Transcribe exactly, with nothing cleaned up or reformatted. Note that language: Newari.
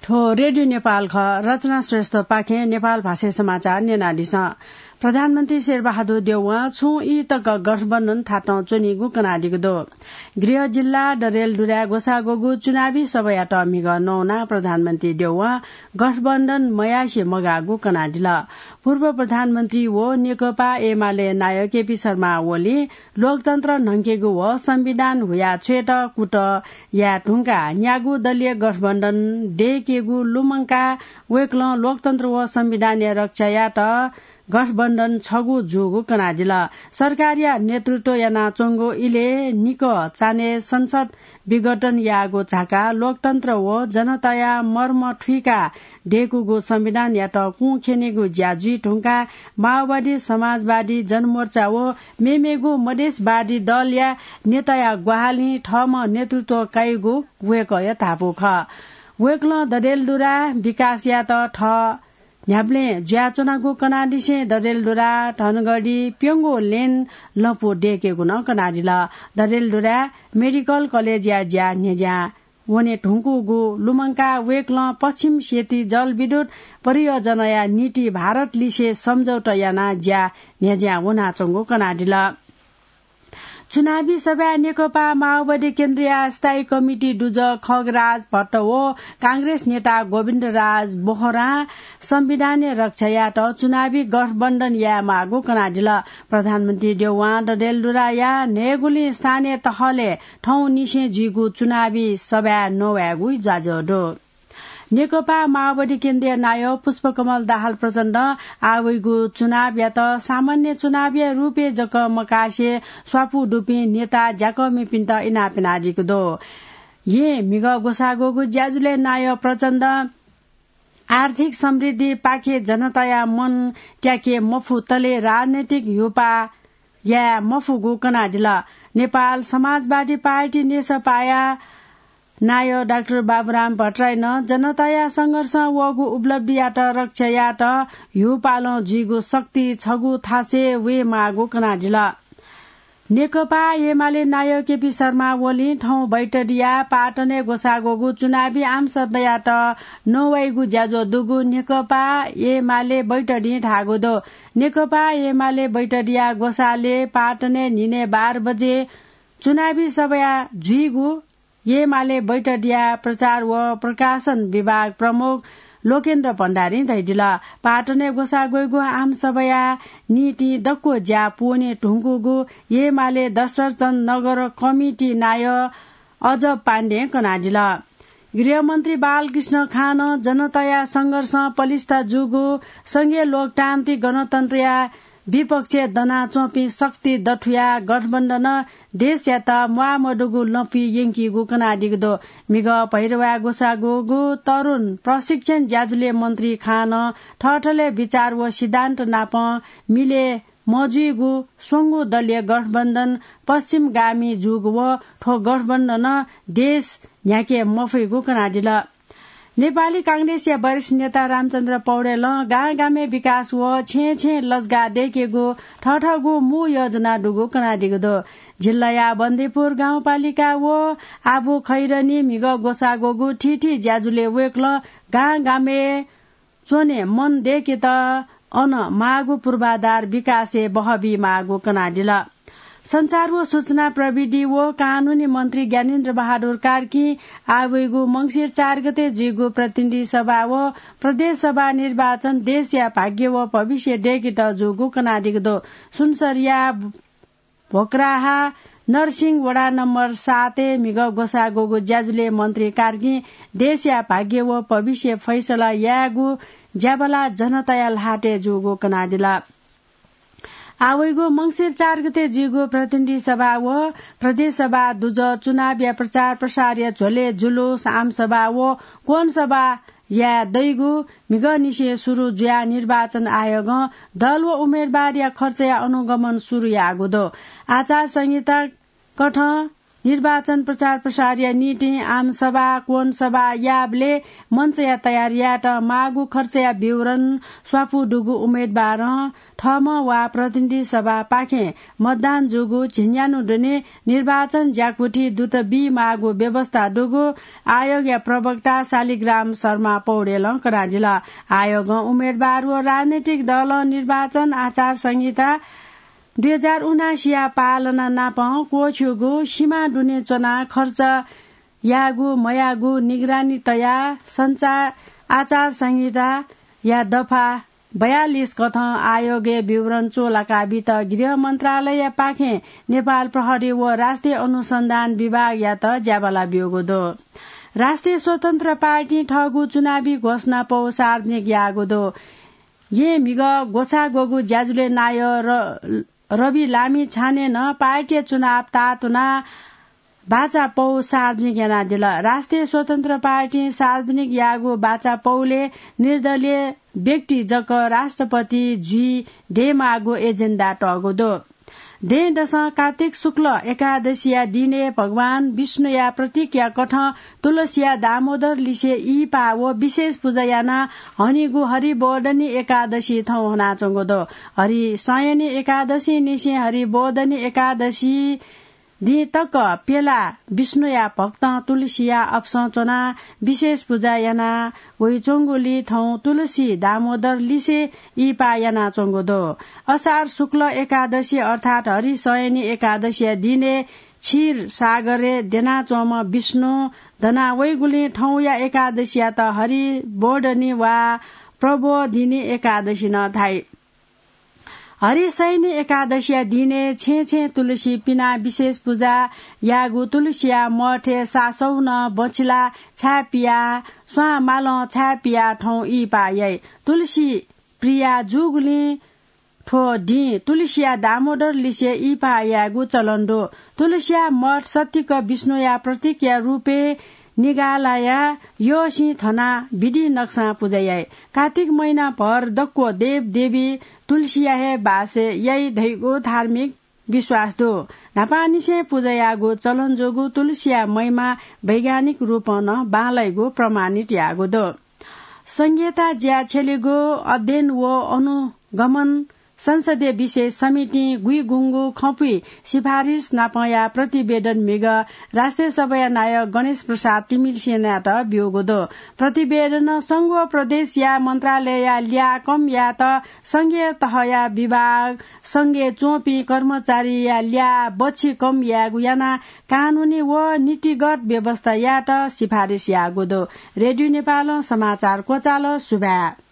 थ्व रेडियो नेपाल खः। रचना श्रेष्ठपाखें नेपाल भाषाय् समाचार न्यनादिसँ। प्रधानमन्त्री शेरबहादुर देउवां छुं ई तक गठबन्धन थातं च्वनीगु कनादीगु दु। गृह जिल्ला डडेलधुराय् ग्वसाः ग्वःगु चुनावी सभायात म्हिगः नवानाः प्रधानमन्त्री देउवां गठबन्धन मयासें मगाःगु कनादिल। पूर्व प्रधानमन्त्री व नेकपा एमाले नायः केपी शर्मा ओलीं लोकतन्त्र न्हंकेगु व संविधान हुया छ्वयेत कुतः याये धुंकाः न्यागू दलीय गठबन्धन दयेकेगु लुमंकाः वय्कलं लोकतन्त्र व संविधानया रक्षा यायेत गठबन्धन छगू जूगु कनादिल। सरकारया नेतृत्व यानाच्वंगु इलय् निकः चान्हय् संसद विघटन याःगु झाकाः लोकतन्त्र व जनताया मर्म थुइकाः दय्कूगु संविधानयात कुं ख्यनेगु ज्या जुइ धुंकाः माओवादी, समाजवादी जनमोर्चा व मेमेगु मधेसवादी दलया नेताया ग्वाहालिं थःम्हं नेतृत्व काइगु वय्कःया धापू खः। वय्कलं डडेलधुरा विकास यायेत थः न्ह्याबलें जुयाच्वनागु कनादिसें डडेलधुरा धनगढी प्यंगू लेन लँपु दय्केगु नं कनादिल। डडेलधुरा मेडिकल कलेजया ज्या न्ह्यज्यां वने धुंकूगु लुमंकाः वय्कलं पश्चिम सेती जलविद्युत परियोजनाया निंतिं भारतलिसे सम्झौता यानाः ज्या न्ह्यज्यां वनाच्वंगु कनादिल। चुनावी सभाय् नेकपा माओवादी केन्द्रया स्थायी कमिटी दुजः खगराज भट्ट व कांग्रेस नेता गोविन्दराज बोहरां संविधानया रक्षा यायेत चुनावी गठबन्धन यायेमाःगु कनादिल। प्रधानमन्त्री देउवां डडेलधुराया न्हय्गुलिं स्थानीय तहलय् थौंनिसें जुइगु चुनावी सभाय् नवायेगु ज्वाजः दु। नेकपा माओवादी केन्द्रीय नायः पुष्पकमल दाहाल प्रचण्डं आः वइगु चुनावयात सामान्य चुनावया रूपय् जक मकासे स्वापू दुपिं नेता ज्याकःमिपिन्त इनाप यानादीगु दु। येँ म्हिगः ग्वसाः ग्वःगु ज्याझ्वलय् नायः प्रचण्डं आर्थिक समृद्धिपाखे जनताया मन त्याके मफुतले राजनैतिक ह्यूपाः याये मफुगु कनादिल। नेपाल समाजवादी पार्टी नेसपाया नायः डाक्टर बाबुराम भट्टराईं नं जनताया संघर्षं वःगु उपलब्धियात रक्षा यायेत ह्यूपालं जुइगु शक्ति छगू थासय् वयेमाःगु कनादिल। नेकपा एमाले नायः केपी शर्मा ओलीं थौं बैतडिया पाटनय् ग्वसाः ग्वःगु चुनावी आमसभायात नवाइगु ज्याझ्वः दुगु नेकपा एमाले बैतडिं धाःगु दु। नेकपा एमाले बैतडिया ग्वसालय् पाटनय् न्हिनय् बाह्र बजे चुनावी सभाया जुइगु एमाले बैतडिया प्रचार व प्रकाशन विभाग प्रमुख लोकेन्द्र भण्डारीं धयादिल। पाटनय् ग्वसाः ग्वइगु आमसभाया निंतिं दक्व ज्या पूवने धुंकूगु एमाले दशरथचन्द्र नगर कमिटी नायः अजब पाण्डें कनादिल। गृहमन्त्री बालकृष्ण खानं जनताया संघर्षं पलिस्था जूगु संघीय लोकतान्त्रिक गणतन्त्रया विपक्षय् दनाच्वंपिं शक्ति दथुया गठबन्धनं देशयात म्वाःमदुगु लँपुइ यंकीगु कनादीगु दु। म्हिगः भैरवाय् ग्वसाः ग्वःगु तरुण प्रशिक्षण ज्याझ्वलय् मन्त्री खानं थःथलय् विचार व सिद्धान्त नापं मिले मजुइगु स्वंगू दलीय गठबन्धन पश्चिमगामी जूगु व थ्व गठबन्धनं देश न्ह्याके मफइगु कनादिल। नेपाली कांग्रेसया वरिष्ठ नेता रामचन्द्र पौडेलं गां गामय् विकास व छेँय् छेँय् लजगाः दय्केगु थःथःगु मू योजना दुगु कनादीगु दु। जिल्लाया बन्दीपुर गाउँपालिका व आबु खैरनी म्हिगः ग्वसाः ग्वःगु थीथी ज्याझ्वलय् वय्कलं गां गामय् च्वने मन दय्केत अन माःगु पूर्वाधार विकासय् बहः बीमाःगु कनादिल। सञ्चार व सूचना प्रविधि व कानूनी मन्त्री ज्ञानेन्द्र बहादुर कार्कीं आः वइगु मंसिर चार गते जुइगु प्रतिनिधि सभा व प्रदेश सभा निर्वाचन देशया भाग्य व भविष्य दय्केत जूगु कनादीगु दु। सुनसरीया भोक्राहा नरसिंह वडा नम्बर सातय् म्हिगः ग्वसाः ग्वःगु ज्याझ्वलय् मन्त्री कार्कीं देशया भाग्य व भविष्य फैसला यायेगु ज्याबला जनताया ल्हातय् जूगु कनादिल। आः वइगु मंसिर चार गते जुइगु प्रतिनिधि सभा व प्रदेश सभा दुजः चुनावया प्रचार प्रसारया झ्वलय् जुलुस, आमसभा व कोणसभा याये दइगु म्हिगःनिसें सुरु जुयाः निर्वाचन आयोगं दल व उम्मेदवारया खर्चया अनुगमन सुरु याःगु दु। आचार संहिता कथं निर्वाचन प्रचार प्रसारया निंतिं आमसभा, कोणसभा याःबलय् मञ्चया तयारी यायेत माःगु खर्चया विवरण स्वापू दुगु उम्मेदवारं थःम्हं वा प्रतिनिधि सभापाखें मतदान जूगु झिंन्यान्हु दुने निर्वाचन ज्याकुथि दुत बी माःगु व्यवस्था दुगु आयोगया प्रवक्ता शालिग्राम शर्मा पौडेलं कनादिल। आयोगं उम्मेदवार व राजनैतिक दलं निर्वाचन आचार संहिता दुई हजार उनासीया पालना नापं क्वःछिउगु सिमा दुने च्वनाः खर्च याःगु मयाःगु निगरानी तयाः संचार आचार संहिताया दफा बयालिस कथं आयोगय् विवरण च्वलाका बीत गृह मन्त्रालयपाखें नेपाल प्रहरी व राष्ट्रिय अनुसन्धान विभागयात ज्याबाला ब्यूगु दु। राष्ट्रिय स्वतन्त्र पार्टीं थःगु चुनावी घोषणा पौ सार्वजनिक याःगु दु। येँ म्हिगः ग्वसाः ग्वःगु ज्याझ्वलय् नायः र रवि लामिछानें नं पार्टीया चुनाव तातुना बाचा पौ सार्वजनिक यानादिल। राष्ट्रिय स्वतन्त्र पार्टीं सार्वजनिक याःगु बाचा पौले निर्दलीय व्यक्ति जक राष्ट्रपति जुइ दयेमाःगु एजेन्डा तःगु दु। दँय्‌दसं कार्तिक शुक्ल एकादशीया दिनय् भगवान विष्णुया प्रतीकया कथं तुलसीया दामोदर लिसे इहिपा व विशेष पुजा यानाः हनीगु हरिबोधनी एकादशी थौं हनाच्वंगु दु। हरिशयनी एकादशीनिसें हरिबोधनी एकादशी दिं तक प्यला विष्णुया भक्तं तुलसीया अपसं च्वनाः विशेष पुजा याना वइच्वंगुलिं थौं तुलसी दामोदर लिसे इहिपा यानाच्वंगु दु। असार शुक्ल एकादशी अर्थात् हरिशयनी एकादशीया दिनय् क्षीर सागरय् द्यनाच्वंम्ह विष्णु दना वइगुलिं थौंया एकादशीयात हरिबोधनी वा प्रबोधिनी एकादशी नं धाइ। हरिशयनी एकादशीया दिनय् छेँ छेँ तुलसी पिनाः विशेष पुजा याःगु तुलसीया मठय् सासौ नं बछिला छाय् पियाः स्वां मालं छाय् पियाः थौं इहिपा याइ। तुलसी प्रिया जूगुलिं थ्व दिं तुलसीया दामोदर लिसे इहिपा यायेगु चलन दु। तुलसीया मठ सत्तिक विष्णुया प्रतीकया रूपय् निगालाया यःसिं थनाः विधि नक्सां पुजा याइ। कार्तिक महिनाभर दक्व देवदेवी तुलसीया हे बासय् याइ धइगु धार्मिक विश्वास दु। न्हापांनिसें पुजा याःगु चलन जूगु तुलसीया महिमा वैज्ञानिक रूपं नं बांलाइगु प्रमाणित याःगु दु। संघीयता ज्या छ्यलेगु अध्ययन व अनुगमन संसदीय विषय समितिं गुइगुंगु खँपुइ सिफारिस नापंया प्रतिवेदन म्हिगः राष्ट्रिय सभाया नायः गणेश प्रसाद तिमिल्सिनायात ब्यूगु दु। प्रतिवेदनं संघ व प्रदेशया मन्त्रालयया ल्याः कम यायेत संघीय तहया विभाग, संघय् च्वंपिं कर्मचारीया ल्याः बच्छि कम यायेगु यानाः कानूनी व नीतिगत व्यवस्था यायेत सिफारिस याःगु दु। रेडियो नेपालं समाचार क्वचाल। सुभाय्।